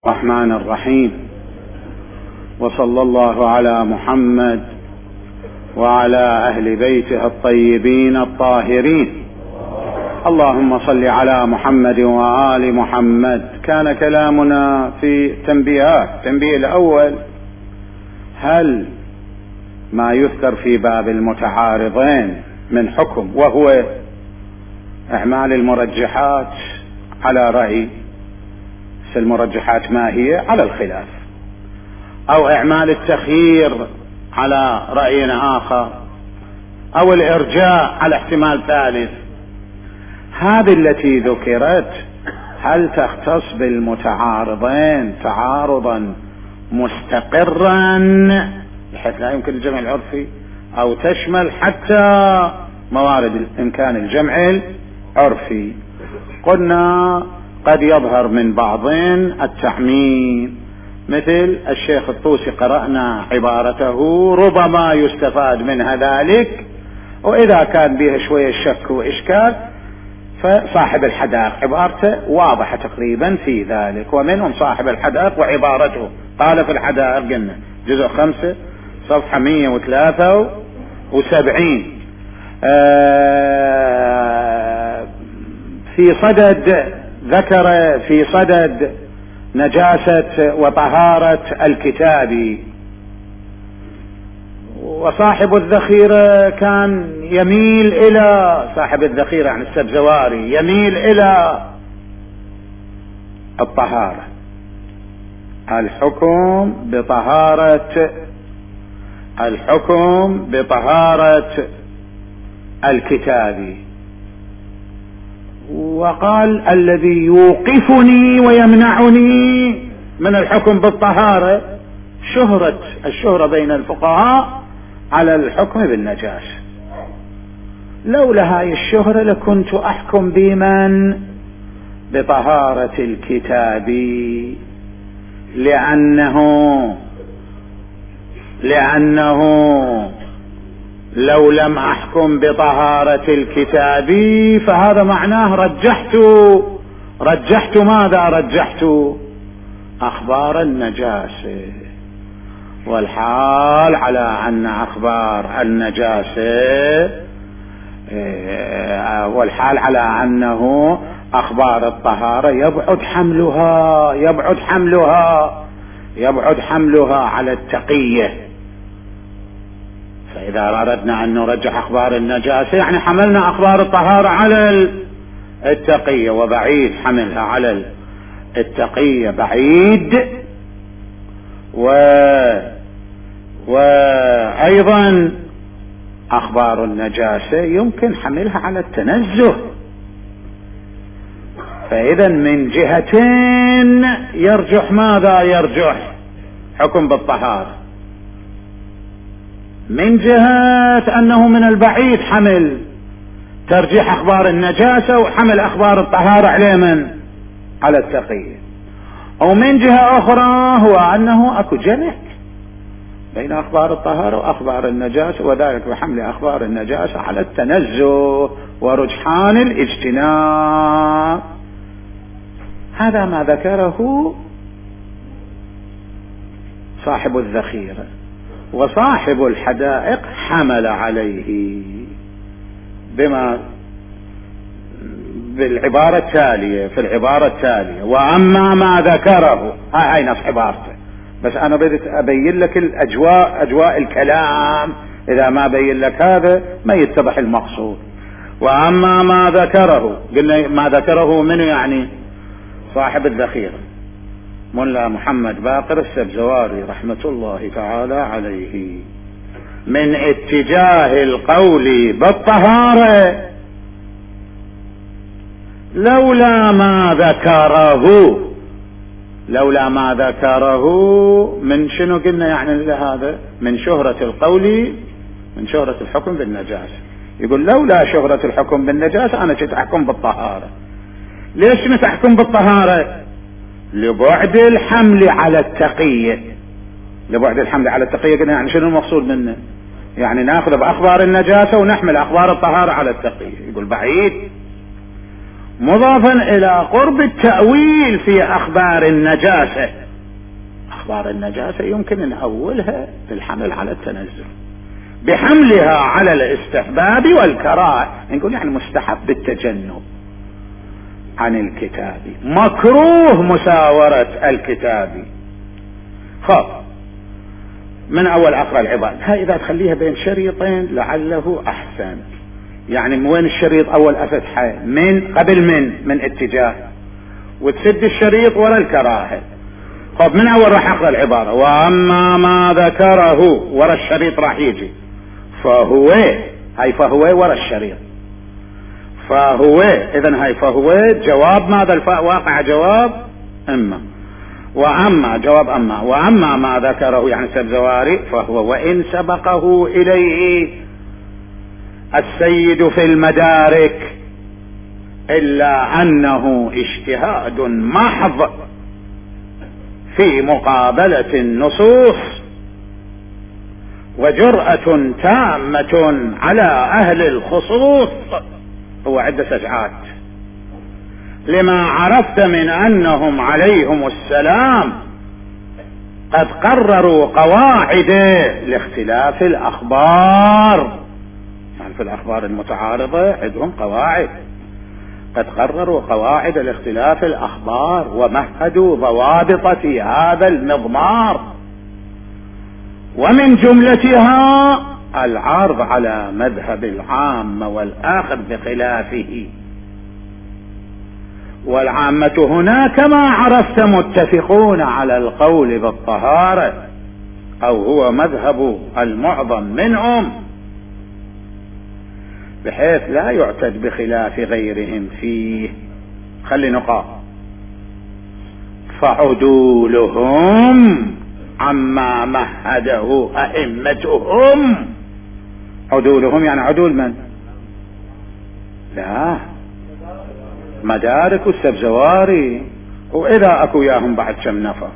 الرحمن الرحيم، وصلى الله على محمد وعلى أهل بيته الطيبين الطاهرين. اللهم صل على محمد وآل محمد. كان كلامنا في تنبيهات. التنبيه الأول: هل ما يذكر في باب المتعارضين من حكم وهو إعمال المرجحات على رأي المرجحات ما هي على الخلاف، أو إعمال التخيير على رأي آخر، أو الإرجاء على احتمال ثالث، هذه التي ذكرت هل تختص بالمتعارضين تعارضا مستقرا بحيث لا يمكن الجمع العرفي، أو تشمل حتى موارد إمكان الجمع العرفي؟ قلنا قد يظهر من بعضين التعميم، مثل الشيخ الطوسي قرأنا عبارته ربما يستفاد منها ذلك، وإذا كان بها شوية شك وإشكال فصاحب الحدائق عبارته واضحة تقريبا في ذلك. ومنهم صاحب الحدائق وعبارته قال في الحدائق، قلنا جزء 5 صفحة 173 في صدد ذكر في صدد نجاسة وطهارة الكتاب. وصاحب الذخيرة كان يميل إلى صاحب الذخيرة عن السبزواري يميل إلى الطهارة، الحكم بطهارة الكتاب. وقال الذي يوقفني ويمنعني من الحكم بالطهارة الشهرة بين الفقهاء على الحكم بالنجاسة. لولا هاي الشهرة لكنت أحكم بمن بطهارة الكتاب، لأنه لو لم أحكم بطهارة الكتاب فهذا معناه رجحت ماذا؟ رجحت أخبار النجاسة، والحال على أن أخبار النجاسة والحال على أنه أخبار الطهارة يبعد حملها على التقية. فإذا أردنا أن نرجح أخبار النجاسة يعني حملنا أخبار الطهارة على التقية، وبعيد حملها على التقية بعيد. وأيضا أخبار النجاسة يمكن حملها على التنزه. فإذا من جهتين يرجح ماذا؟ يرجح حكم بالطهارة. من جهة أنه من البعيد حمل ترجيح أخبار النجاسة وحمل أخبار الطهارة على التقية. ومن جهة أخرى هو أنه أكو جمع بين أخبار الطهارة وأخبار النجاسة، وذلك بحمل أخبار النجاسة على التنزه ورجحان الاجتناب. هذا ما ذكره صاحب الذخيرة. وصاحب الحدائق حمل عليه بالعبارة التالية، في العبارة التالية: وأما ما ذكره، هاي نص عبارته، بس أنا بديت أبين لك أجواء الكلام، إذا ما بين لك هذا ما يتضح المقصود. وأما ما ذكره، قلنا ما ذكره منه يعني صاحب الذخيرة ملا محمد باقر السبزواري رحمة الله تعالى عليه، من اتجاه القول بالطهارة لولا ما ذكره من شنو قلنا يعني هذا من شهرة القول، من شهرة الحكم بالنجاسة. يقول لولا شهرة الحكم بالنجاسة أنا كنت أحكم بالطهارة. ليش كنت أحكم بالطهارة؟ لبعد الحمل على التقية. قلنا يعني شنو المقصود منه؟ يعني ناخذ بأخبار النجاسة ونحمل أخبار الطهارة على التقية. يقول بعيد. مضافا الى قرب التأويل في اخبار النجاسة. اخبار النجاسة يمكن نأولها بالحمل على التنزل، بحملها على الاستحباب والكراهة، نقول يعني مستحب التجنب عن الكتاب، مكروه مساورة الكتاب. خب من اول اقرأ العباد، هاي اذا تخليها بين شريطين لعله احسن. يعني من وين الشريط؟ اول افتحه من قبل من اتجاه، وتسد الشريط ورا الكراهة. خب من اول راح اقرأ العبارة، واما ما ذكره ورا الشريط راح يجي فهو، هاي فهو ورا الشريط، فهو اذن هاي فهو جواب ماذا؟ الفاء واقع جواب اما، واما جواب اما، واما ما ذكره يعني سبزواري فهو وان سبقه اليه السيد في المدارك الا انه اجتهاد محض في مقابلة النصوص وجرأة تامة على اهل الخصوص. هو عدة سجعات لما عرفت من انهم عليهم السلام قد قرروا قواعد لاختلاف الاخبار، يعني في الاخبار المتعارضة عندهم قواعد، قد قرروا قواعد لاختلاف الاخبار ومهدوا ضوابط في هذا المضمار، ومن جملتها العرض على مذهب العام والاخذ بخلافه. والعامة هنا كما عرفت متفقون على القول بالطهارة، او هو مذهب المعظم منهم، بحيث لا يعتد بخلاف غيرهم فيه. خلي نقاط، فعدولهم عما مهده ائمتهم. عدولهم يعني عدول من؟ لا، مدارك السبزواري، واذا اكو ياهم بعد كم نفر.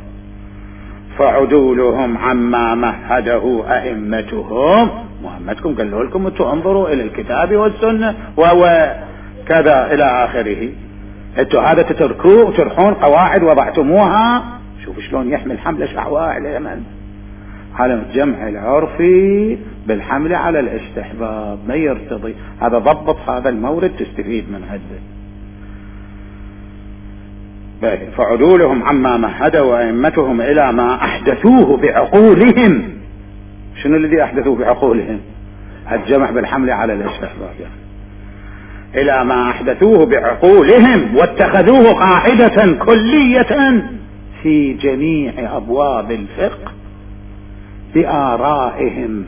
فعدولهم عما مهده ائمتهم، محمدكم قالوا لكم انتوا انظروا الى الكتاب والسنة وهو كذا الى اخره، انتوا هذا تتركوه وترحون قواعد وضعتموها. شوف شلون يحمل حملة شعواء على من؟ على الجمع العرفي بالحمل على الاستحباب، ما يرتضي. هذا ضبط هذا المورد تستفيد من هذا. فعدولهم عما مهدوا ائمتهم الى ما احدثوه بعقولهم. شنو الذي احدثوه بعقولهم؟ الجمع بالحمل على الاستحباب، يعني الى ما احدثوه بعقولهم واتخذوه قاعدة كلية في جميع ابواب الفقه بآرائهم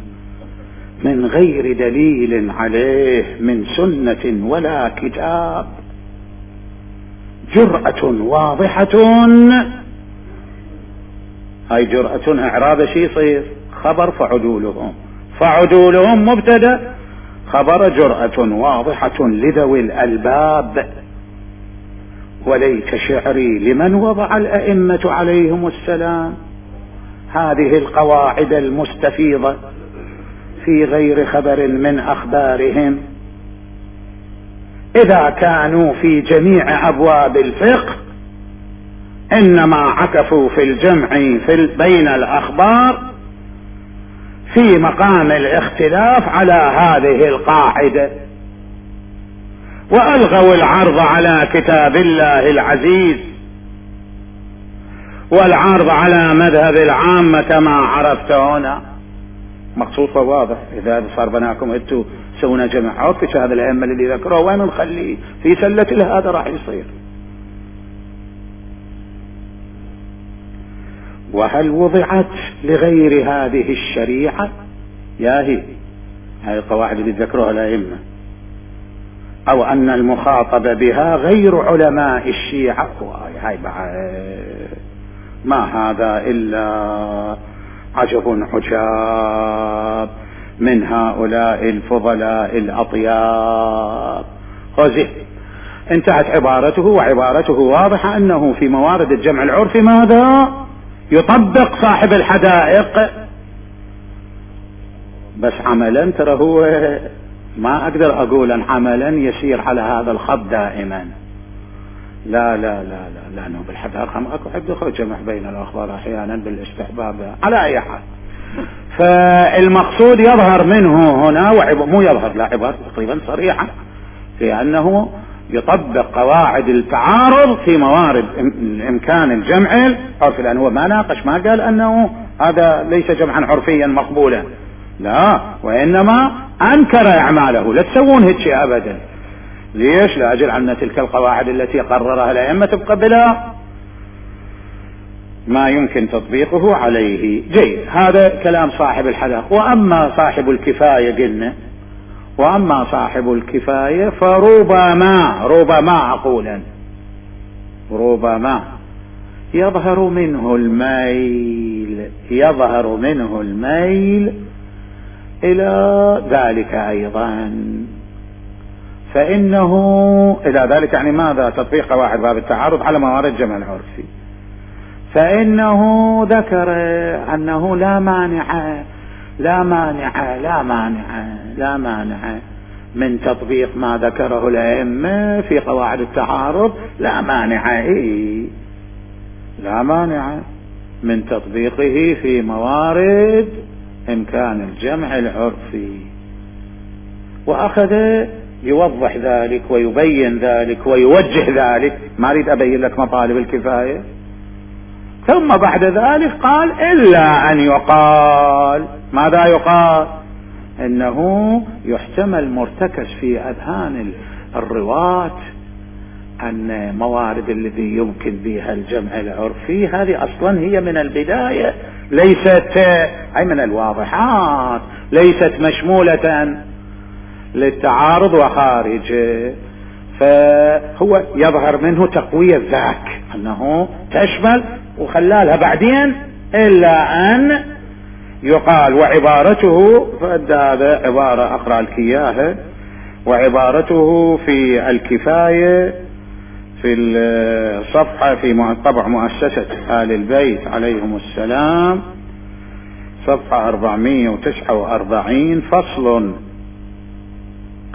من غير دليل عليه من سنة ولا كتاب، جرأة واضحة. هاي جرأة اعراب شي يصير خبر فعدولهم، فعدولهم مبتدأ، خبر جرأة واضحة لذوي الألباب. وليت شعري لمن وضع الأئمة عليهم السلام هذه القواعد المستفيضة في غير خبر من أخبارهم، إذا كانوا في جميع أبواب الفقه إنما عكفوا في الجمع بين الأخبار في مقام الاختلاف على هذه القاعدة، وألغوا العرض على كتاب الله العزيز والعرض على مذهب العامة كما عرفت هنا. مقصود واضح. إذا صار بناكم انتوا سونا جمع عرفي هذا الأئمة اللي ذكروه وين نخليه في سلة هذا راح يصير. وهل وضعت لغير هذه الشريعة؟ ياهي هاي القواعد اللي ذكروها الأئمة، أو أن المخاطب بها غير علماء الشيعة؟ هاي ما هذا إلا عجب عجاب من هؤلاء الفضلاء الأطياب. خذه انتهت عبارته، وعبارته واضحة أنه في موارد الجمع العرفي ماذا يطبق صاحب الحدائق، بس عملا ترى هو ما أقدر أقول أن عملا يسير على هذا الخط دائما، لا لا لا لا لأنه بالحد الرقم اكو حد جمع بين الأخبار أحيانا بالاستحباب على أي حال. فالمقصود يظهر منه هنا مو يظهر، لا، عبارة تقريبا صريحة في أنه يطبق قواعد التعارض في موارد إمكان الجمع العرفي، لأنه ما ناقش، ما قال أنه هذا ليس جمعا عرفيا مقبولا، لا، وإنما أنكر إعماله. لا تسوون هيك شيء أبدا. ليش؟ لأجل أن تلك القواعد التي قررها الأئمة تبقى بلا ما يمكن تطبيقه عليه. جيد، هذا كلام صاحب الحدق. وأما صاحب الكفاية قلنا، وأما صاحب الكفاية فربما أقولا ربما يظهر منه الميل إلى ذلك أيضا، فإنه إلى ذلك يعني ماذا؟ تطبيق قواعد باب التعارض على موارد جمع العرفي. فإنه ذكر أنه لا مانع من تطبيق ما ذكره الأئمة في قواعد التعارض، لا مانع من تطبيقه في موارد إمكان الجمع العرفي. وأخذ يوضح ذلك ويبين ذلك ويوجه ذلك. ما أريد أبين لك مطالب الكفاية. ثم بعد ذلك قال إلا أن يقال، ماذا يقال؟ إنه يحتمل مرتكز في أذهان الرواة أن موارد الذي يمكن بها الجمع العرفي هذه أصلا هي من البداية ليست، أي من الواضحات، ليست مشمولة للتعارض وخارجه. فهو يظهر منه تقوية ذاك أنه تشمل، وخلالها بعدين إلا أن يقال. وعبارته، هذا عبارة أقرأ لك إياها، وعبارته في الكفاية في الصفحة في طبع مؤسسة آل البيت عليهم السلام، صفحة 449، فصل: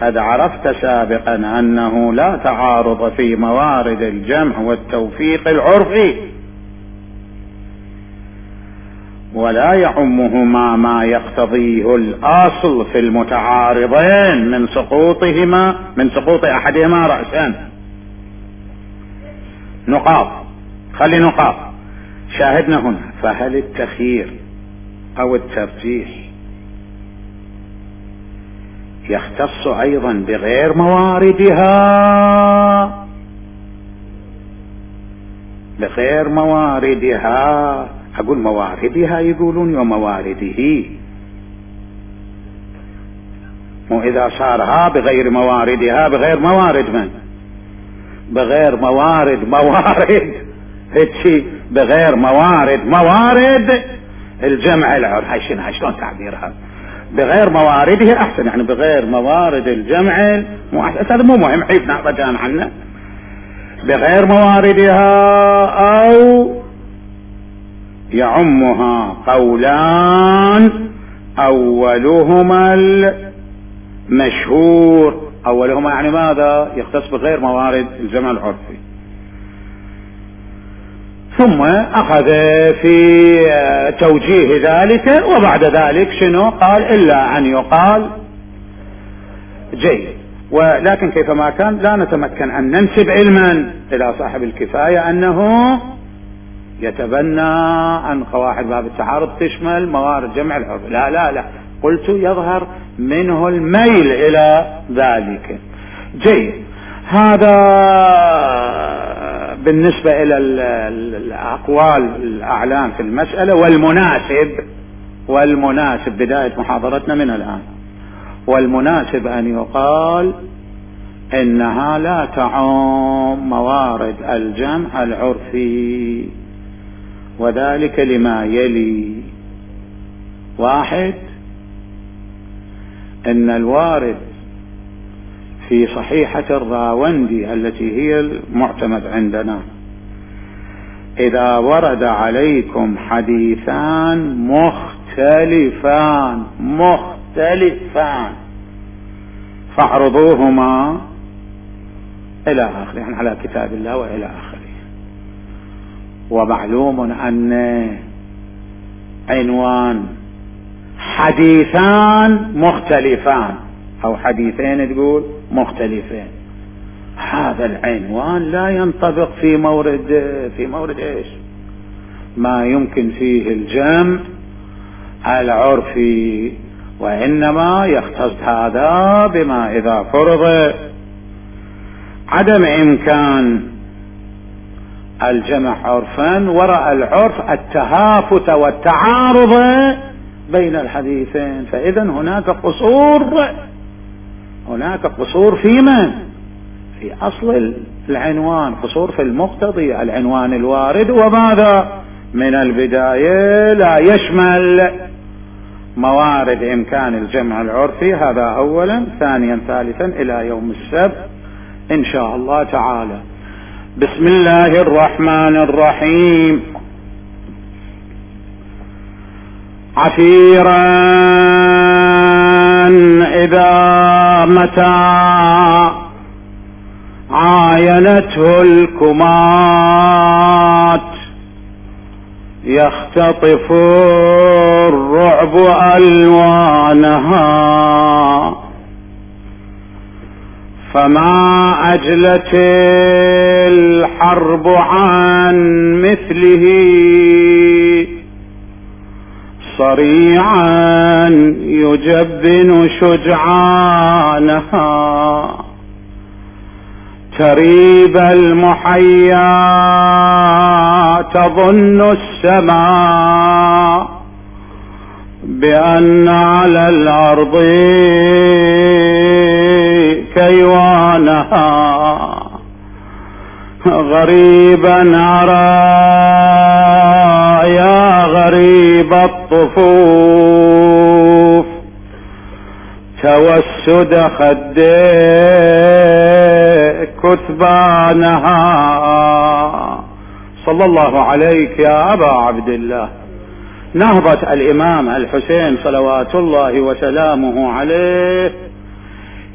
قد عرفت سابقا أنه لا تعارض في موارد الجمع والتوفيق العرفي، ولا يعمهما ما يقتضيه الأصل في المتعارضين من سقوط أحدهما رأسا. نقاط، خلي نقاط. شاهدنا هنا: فهل التخيير أو الترجيح يختص أيضا بغير مواردها؟ أقول مواردها يقولون وموارده، مو إذا صارها بغير مواردها، بغير موارد من؟ بغير موارد هيك، بغير موارد الجمع العرفي. هاي شلون تعبيرها؟ بغير موارده أحسن، يعني بغير موارد الجمع مو أحسن. هذا مو مهم، حيث نعبدان عنه. بغير مواردها أو يعمها قولان، أولهما المشهور. أولهما يعني ماذا؟ يختص بغير موارد الجمع العرفي. ثم أخذ في توجيه ذلك، وبعد ذلك شنو قال؟ إلا أن يقال. جيد. ولكن كيفما كان لا نتمكن أن ننسب علما إلى صاحب الكفاية أنه يتبنى أن قواعد باب التعارض تشمل موارد جمع العرف. لا، قلت يظهر منه الميل إلى ذلك. جيد. هذا بالنسبة إلى الأقوال الأعلام في المسألة. والمناسب بداية محاضرتنا من الآن، والمناسب أن يقال إنها لا تعم موارد الجمع العرفي، وذلك لما يلي: 1. إن الوارد في صحيحة الراوندي التي هي المعتمد عندنا: إذا ورد عليكم حديثان مختلفان فاعرضوهما إلى آخره، يعني على كتاب الله وإلى آخره. ومعلوم أن عنوان حديثان مختلفان أو حديثين تقول مختلفين، هذا العنوان لا ينطبق في مورد إيش؟ ما يمكن فيه الجمع العرفي، وإنما يختص هذا بما إذا فرض عدم إمكان الجمع عرفا ورأى العرف التهافت والتعارض بين الحديثين، فإذا هناك قصور في من؟ في أصل العنوان، قصور في المقتضي العنوان الوارد، وماذا من البداية لا يشمل موارد إمكان الجمع العرفي. هذا أولا. ثانيا ثالثا إلى يوم السبت إن شاء الله تعالى. بسم الله الرحمن الرحيم. عسيرا إذا متى عاينته الكمات يختطف الرعب ألوانها، فما أجلت الحرب عن مثله صريعا يجبن شجعانها، تريب المحيا تظن السماء بأن على الأرض كيوانها، غريبا أرى يا غريب الطفوف توسد خديك كثبانها. صلى الله عليك يا أبا عبد الله. نهضة الإمام الحسين صلوات الله وسلامه عليه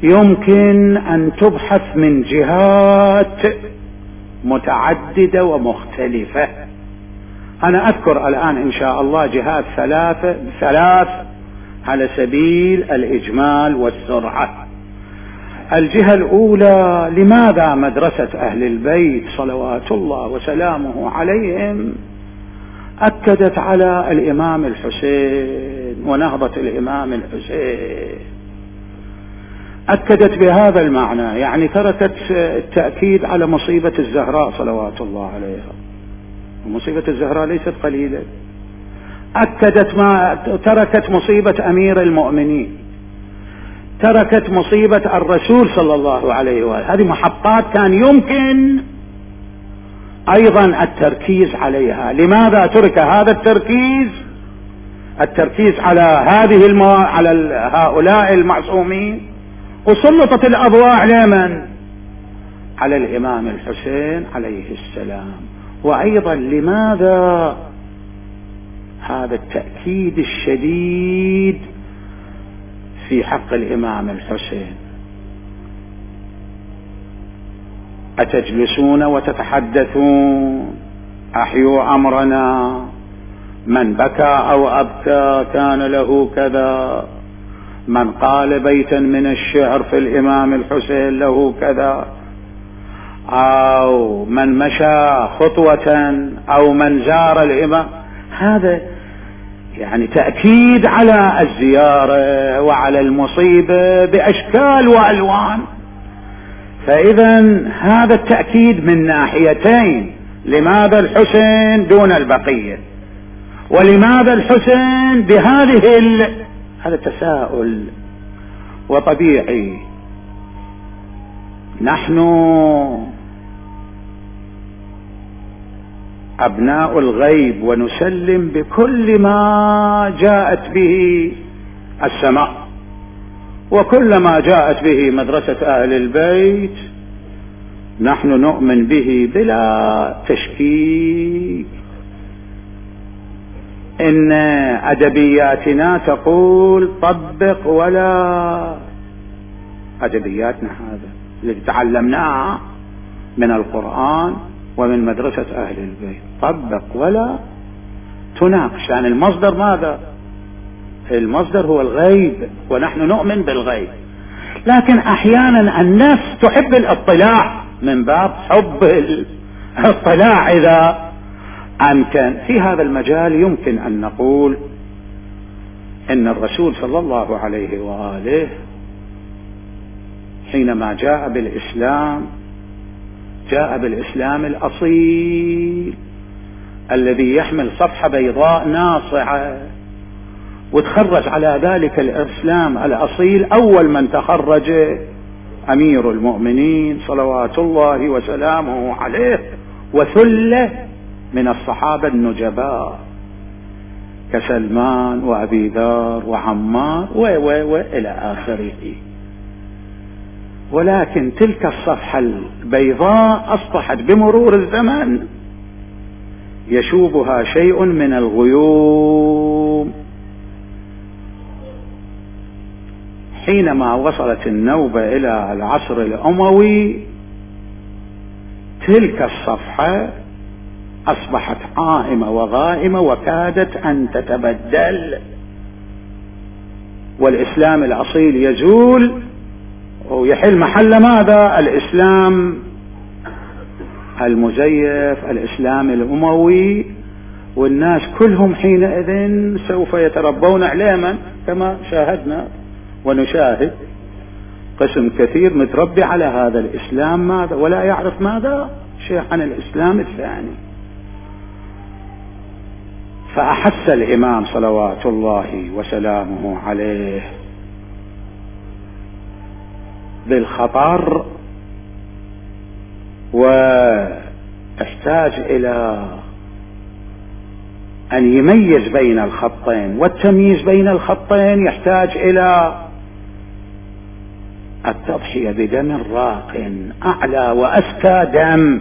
يمكن أن تبحث من جهات متعددة ومختلفة. أنا أذكر الآن إن شاء الله جهات ثلاث على سبيل الإجمال والسرعة. الجهة الأولى، لماذا مدرسة أهل البيت صلوات الله وسلامه عليهم أكدت على الإمام الحسين ونهضة الإمام الحسين؟ أكدت بهذا المعنى، يعني تركت التأكيد على مصيبة الزهراء صلوات الله عليها، ومصيبة الزهراء ليست قليلة. تركت مصيبة أمير المؤمنين، تركت مصيبة الرسول صلى الله عليه وآله. هذه محطات كان يمكن أيضا التركيز عليها. لماذا ترك هذا التركيز على على هؤلاء المعصومين، وسلطت الأضواء لمن؟ على الإمام الحسين عليه السلام. وأيضا لماذا هذا التأكيد الشديد في حق الإمام الحسين؟ أتجلسون وتتحدثون أحيوا أمرنا، من بكى أو أبكى كان له كذا، من قال بيتا من الشعر في الإمام الحسين له كذا، أو من مشى خطوة أو من زار الإمام. هذا يعني تأكيد على الزيارة وعلى المصيبة بأشكال وألوان. فإذا هذا التأكيد من ناحيتين، لماذا الحسين دون البقية، ولماذا الحسين بهذه هذا تساؤل وطبيعي. نحن أبناء الغيب ونسلم بكل ما جاءت به السماء، وكل ما جاءت به مدرسة أهل البيت نحن نؤمن به بلا تشكيك. إن أدبياتنا تقول طبق، ولا أدبياتنا هذا اللي تعلمناه من القرآن ومن مدرسة أهل البيت، طبق ولا تناقش. يعني المصدر ماذا؟ المصدر هو الغيب، ونحن نؤمن بالغيب، لكن أحيانا النفس تحب الاطلاع من باب حب الاطلاع إذا أمكن. في هذا المجال يمكن أن نقول إن الرسول صلى الله عليه وآله حينما جاء بالإسلام جاء بالإسلام الأصيل الذي يحمل صفحة بيضاء ناصعة، وتخرج على ذلك الإسلام الأصيل أول من تخرج أمير المؤمنين صلوات الله وسلامه عليه، وثلة من الصحابة النجباء كسلمان وأبي ذر وعمار وإلى آخره. ولكن تلك الصفحة البيضاء أصبحت بمرور الزمن يشوبها شيء من الغيوم. حينما وصلت النوبة إلى العصر الأموي تلك الصفحة أصبحت عائمة وغائمة وكادت أن تتبدل، والإسلام الأصيل يزول ويحل محل ماذا؟ الإسلام المزيف، الإسلام الأموي، والناس كلهم حينئذ سوف يتربون علما كما شاهدنا ونشاهد. قسم كثير متربي على هذا الإسلام ماذا ولا يعرف ماذا شيء عن الإسلام الثاني. فأحس الإمام صلوات الله وسلامه عليه بالخطر، واحتاج إلى أن يميز بين الخطين، والتمييز بين الخطين يحتاج إلى التضحية بدم راق أعلى وأزكى دم،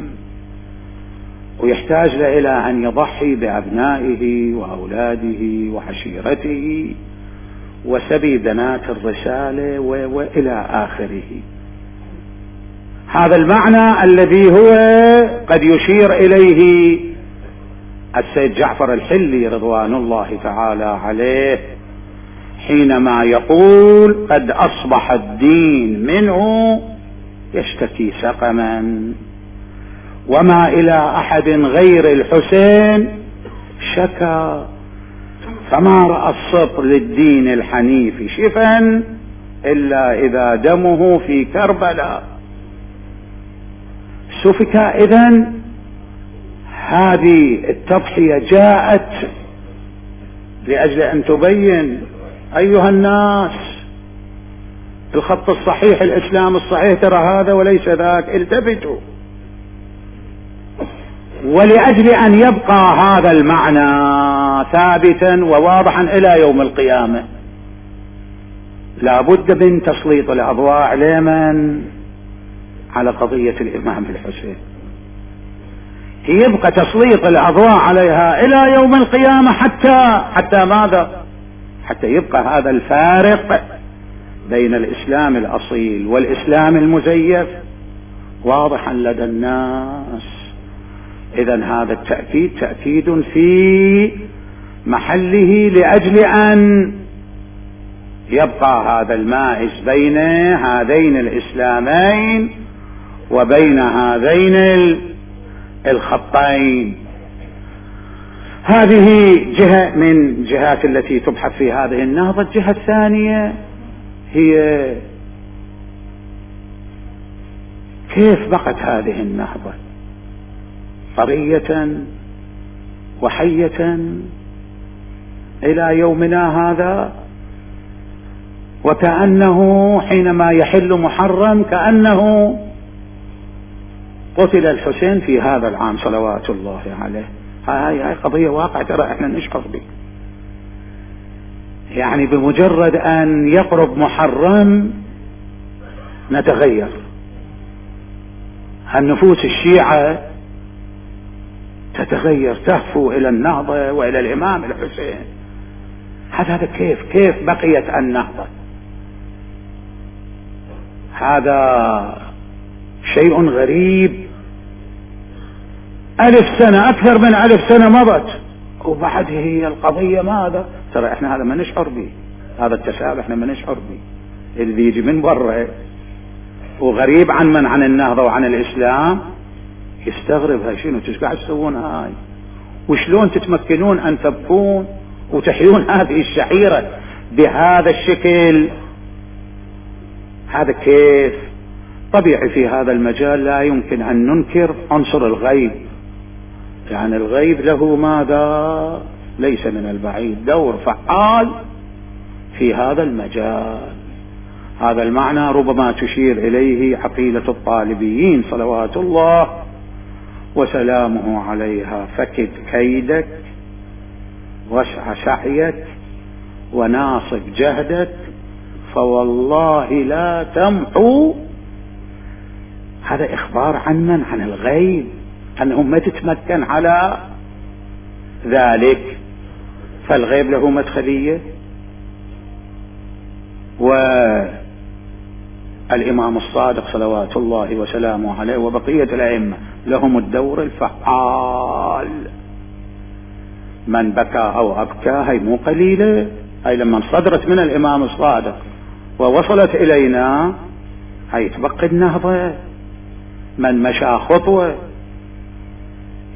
ويحتاج إلى أن يضحي بأبنائه وأولاده وعشيرته وسبي بنات الرسالة وإلى آخره. هذا المعنى الذي هو قد يشير إليه السيد جعفر الحلي رضوان الله تعالى عليه حينما يقول قد أصبح الدين منه يشتكي سقما، وما إلى أحد غير الحسين شكا، فما رأى السطر للدين الحنيف شفا إلا إذا دمه في كربلاء سفك. إذن هذه التضحية جاءت لأجل أن تبين أيها الناس الخط الصحيح، الإسلام الصحيح ترى هذا وليس ذاك، التفتوا. ولأجل أن يبقى هذا المعنى ثابتا وواضحا إلى يوم القيامة لا بد من تسليط الأضواء عليمن على قضية الإمام الحسين، يبقى تسليط الأضواء عليها إلى يوم القيامة حتى ماذا؟ حتى يبقى هذا الفارق بين الإسلام الأصيل والإسلام المزيف واضحا لدى الناس. إذن هذا التأكيد تأكيد في محله لأجل أن يبقى هذا المائز بين هذين الإسلامين وبين هذين الخطين. هذه جهة من جهات التي تبحث في هذه النهضة. الجهة الثانية هي كيف بقت هذه النهضة طرية وحية إلى يومنا هذا، وكأنه حينما يحل محرم كأنه قتل الحسين في هذا العام صلوات الله عليه. هاي قضية واقع ترى احنا نشعر به، يعني بمجرد أن يقرب محرم نتغير. النفوس الشيعة تتغير تهفو إلى النهضة وإلى الإمام الحسين. هذا كيف بقيت النهضة؟ هذا شيء غريب 1000 سنة، أكثر من 1000 سنة مضت، وبعد هي القضية ماذا؟ ترى احنا هذا ما نشعر به، هذا التشابه احنا ما نشعر به، اللي يجي من برا وغريب عن النهضة وعن الإسلام يستغرب هاي شنو انتوا قاعد تسوون هاي، وشلون تتمكنون أن تبقون وتحيون هذه الشعيرة بهذا الشكل؟ هذا كيف؟ طبيعي في هذا المجال لا يمكن أن ننكر عنصر الغيب، يعني الغيب له ماذا؟ ليس من البعيد دور فعال في هذا المجال. هذا المعنى ربما تشير إليه عقيدة الطالبيين صلوات الله وسلامه عليها: فكد كيدك واسع سعيك وناصب جهدك فوالله لا تمحو. هذا إخبار عن الغيب، أنه ما تتمكن على ذلك، فالغيب له مدخلية. والإمام الصادق صلوات الله وسلامه عليه وبقية الأئمة لهم الدور الفعال. من بكى أو أبكى هي مو قليلة، هي لما صدرت من الإمام الصادق ووصلت إلينا هي تبقي النهضة. من مشى خطوة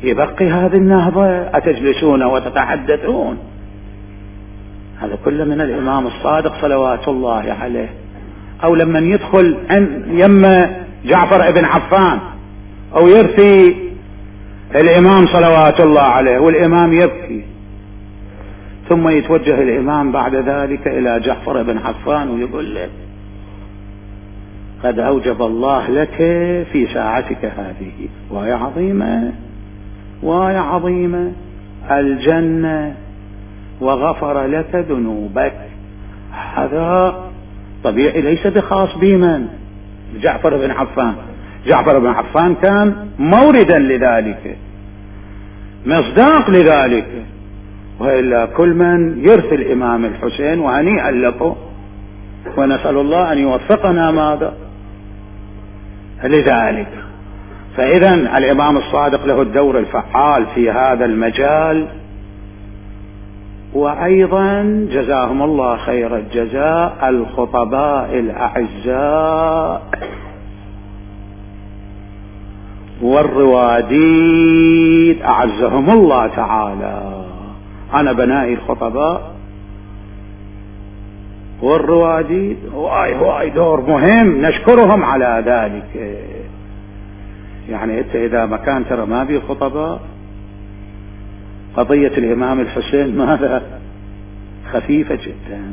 يبقي هذه النهضة، أتجلسون وتتحدثون؟ هذا كله من الإمام الصادق صلوات الله عليه. أو لما يدخل يم جعفر ابن عفان أو يرثي الإمام صلوات الله عليه والإمام يبكي، ثم يتوجه الإمام بعد ذلك إلى جعفر ابن عفان ويقول له: قد أوجب الله لك في ساعتك هذه وهي عظيمة وهي عظيمة الجنة وغفر لك ذنوبك. هذا طبيعي ليس بخاص بمن؟ جعفر بن عفان. جعفر بن عفان كان موردا لذلك، مصداق لذلك، وإلا كل من يرثي الإمام الحسين وهنيئا لكم، ونسأل الله أن يوفقنا ماذا لذلك. فإذا الإمام الصادق له الدور الفعال في هذا المجال. وأيضا جزاهم الله خير الجزاء الخطباء الأعزاء والرواديد أعزهم الله تعالى. أنا بنائي الخطباء والرواديد هواي دور مهم، نشكرهم على ذلك. يعني أنت إذا ما كان ترى ما بي خطباء، قضية الإمام الحسين ماذا؟ خفيفة جدا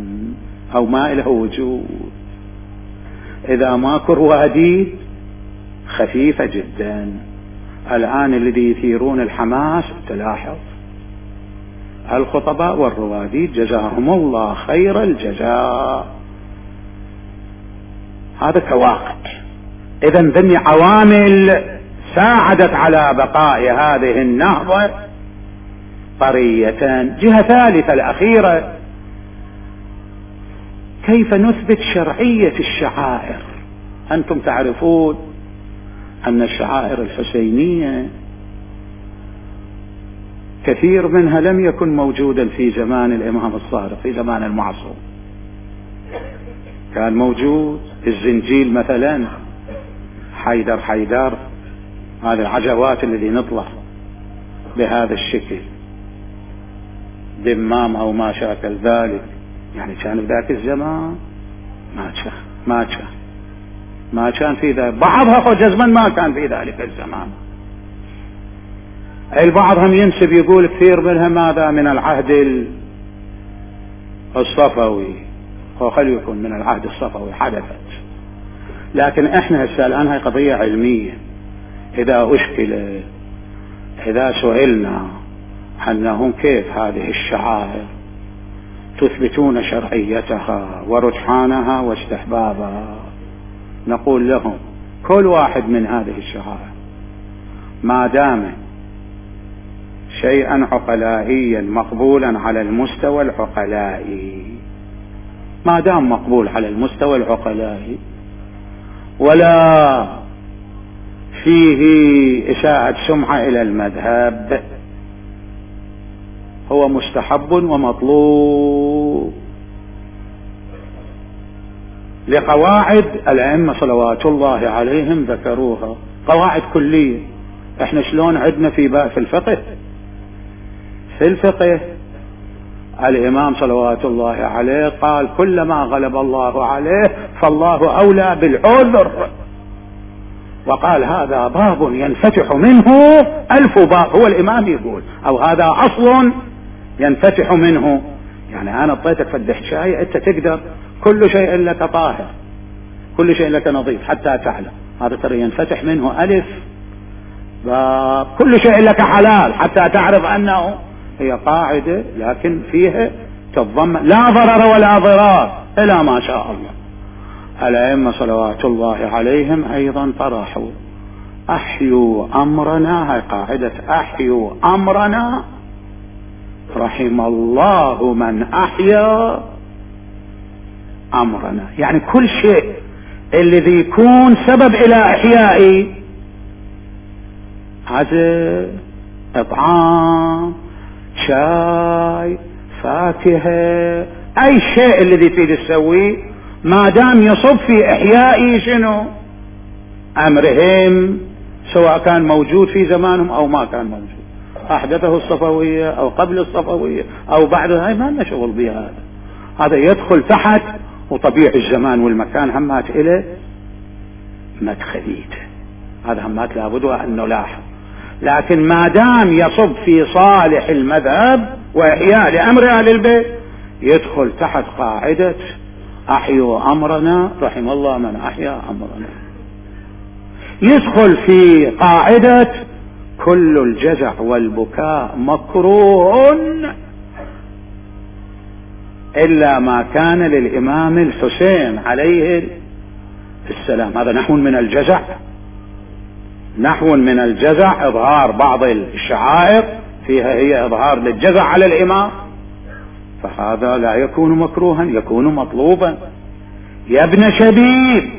أو ما له وجود. إذا ماكو رواديد خفيفة جدا. الآن الذي يثيرون الحماس تلاحظ الخطباء والرواديد جزاهم الله خير الجزاء. هذا كواقع. إذا ذني عوامل ساعدت على بقاء هذه النهضة طرية. جهة ثالثة الأخيرة: كيف نثبت شرعية الشعائر؟ أنتم تعرفون أن الشعائر الحسينية كثير منها لم يكن موجودا في زمان الإمام الصادق، في زمان المعصوم كان موجود الزنجيل مثلا، حيدر هذه العجوات الذي نطلع بهذا الشكل، دمام أو ما شاكل ذلك. يعني كان بذاك الزمان ما كان في ذلك. بعضها جزما ما كان في ذلك الزمان. البعض هم ينسب يقول كثير منها ماذا من العهد الصفوي، خلي يكون من العهد الصفوي حدثت. لكن احنا هسه الآن هاي قضية علمية. إذا أشكلت، إذا سئلنا أنهم كيف هذه الشعائر تثبتون شرعيتها ورجحانها واستحبابها، نقول لهم كل واحد من هذه الشعائر ما دام شيئا عقلائيا مقبولا على المستوى العقلائي، ما دام مقبول على المستوى العقلائي ولا فيه إساءة سمعة إلى المذهب، هو مستحب ومطلوب لقواعد الأئمة صلوات الله عليهم ذكروها، قواعد كلية. احنا شلون عندنا في الفقه، في الفقه الإمام صلوات الله عليه قال كلما غلب الله عليه فالله أولى بالعذر، وقال هذا باب ينفتح منه 1000 باب، هو الإمام يقول، أو هذا أصل ينفتح منه، يعني أنا اعطيتك فدح شاي أنت تقدر كل شيء لك طاهر، كل شيء لك نظيف حتى تعلم، هذا ترى ينفتح منه 1000 باب، كل شيء لك حلال حتى تعرف أنه، هي قاعدة لكن فيها تتضمن لا ضرر ولا ضرار إلى ما شاء الله. الأئمة صلوات الله عليهم أيضا طرحوا أحيوا أمرنا، هاي قاعدة أحيوا أمرنا رحم الله من أحيا أمرنا، يعني كل شيء الذي يكون سبب إلى إحيائي، هذا إطعام، شاي، فاكهة، أي شيء الذي تريد تسويه ما دام يصب في إحيائي شنو أمرهم، سواء كان موجود في زمانهم أو ما كان موجود، أحدثه الصفوية أو قبل الصفوية أو بعدها، هاي ما لنا شغل بها، هذا يدخل تحت، وطبيعي الزمان والمكان همات إليه مدخليته، هذا همات لابد أن نلاحظ، لكن ما دام يصب في صالح المذهب وإحياء لأمر أهل البيت يدخل تحت قاعدة أحيوا أمرنا رحم الله من أحيا أمرنا، يدخل في قاعدة كل الجزع والبكاء مكروه إلا ما كان للإمام الحسين عليه السلام، هذا نحو من الجزع، نحو من الجزع إظهار بعض الشعائر فيها هي إظهار للجزع على الإمام، فهذا لا يكون مكروها، يكون مطلوبا. يا ابن شبيب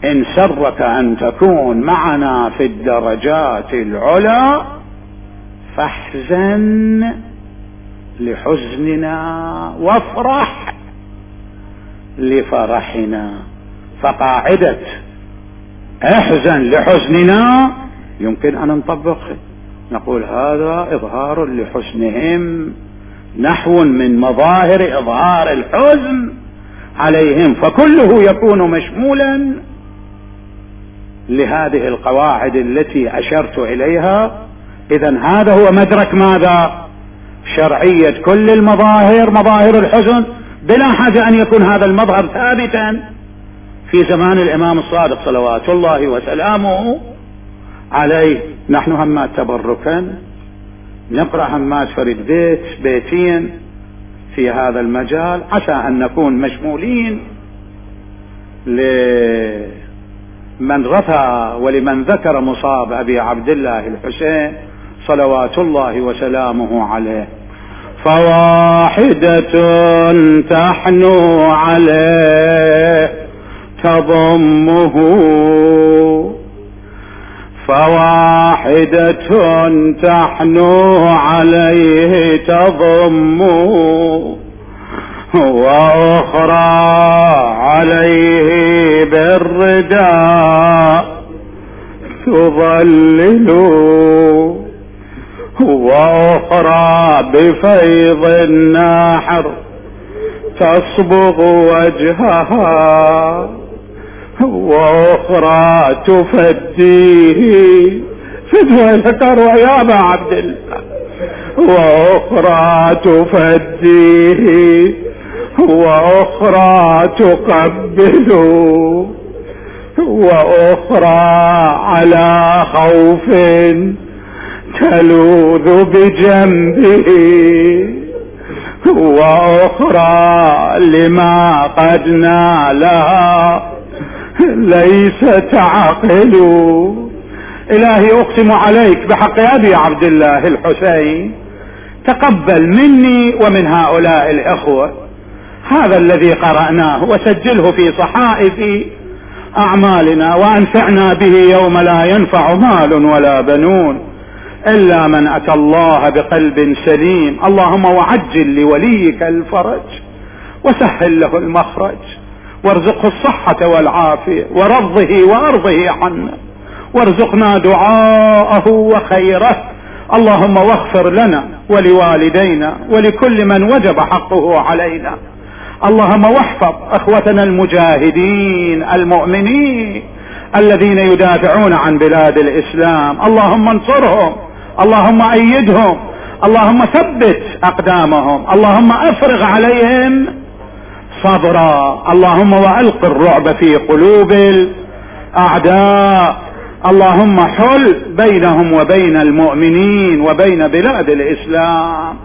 إن سرك أن تكون معنا في الدرجات العلى فاحزن لحزننا وافرح لفرحنا، فقاعدة احزن لحزننا يمكن أن نطبقها، نقول هذا إظهار لحزنهم، نحو من مظاهر إظهار الحزن عليهم، فكله يكون مشمولا لهذه القواعد التي أشرت إليها. إذن هذا هو مدرك ماذا؟ شرعية كل المظاهر، مظاهر الحزن، بلا حاجة أن يكون هذا المظهر ثابتا في زمان الإمام الصادق صلوات الله وسلامه عليه. نحن همات تبركا نقرأ همات فريد بيتين في هذا المجال، عسى أن نكون مشمولين لمن رثى ولمن ذكر مصاب أبي عبد الله الحسين صلوات الله وسلامه عليه. فواحدة تحنو عليه تضمه، فواحدة تحنو عليه تضمه، وأخرى عليه بالرداء تظلله، وأخرى بفيض النحر تصبغ وجهها، وأخرى تفديه فدوى ذكر يا أبا عبد الله، وأخرى تفديه، وأخرى تقبله، وأخرى على خوف تلوذ بجنبه، وأخرى لما قد نالها ليس تعقل. إلهي أقسم عليك بحق أبي عبد الله الحسين تقبل مني ومن هؤلاء الإخوة هذا الذي قرأناه وسجله في صحائفي، أعمالنا وأنفعنا به يوم لا ينفع مال ولا بنون إلا من أتى الله بقلب سليم. اللهم وعجل لوليك الفرج وسهل له المخرج وارزقه الصحة والعافية ورضه وأرضه عنا وارزقنا دعاءه وخيره. اللهم واغفر لنا ولوالدينا ولكل من وجب حقه علينا. اللهم واحفظ اخوتنا المجاهدين المؤمنين الذين يدافعون عن بلاد الاسلام. اللهم انصرهم، اللهم ايدهم، اللهم ثبت اقدامهم، اللهم افرغ عليهم صبرا. اللهم والق الرعب في قلوب الاعداء. اللهم حل بينهم وبين المؤمنين وبين بلاد الاسلام.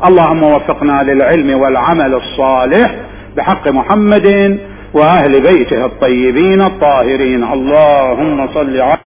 اللهم وفقنا للعلم والعمل الصالح بحق محمد واهل بيته الطيبين الطاهرين. اللهم صل على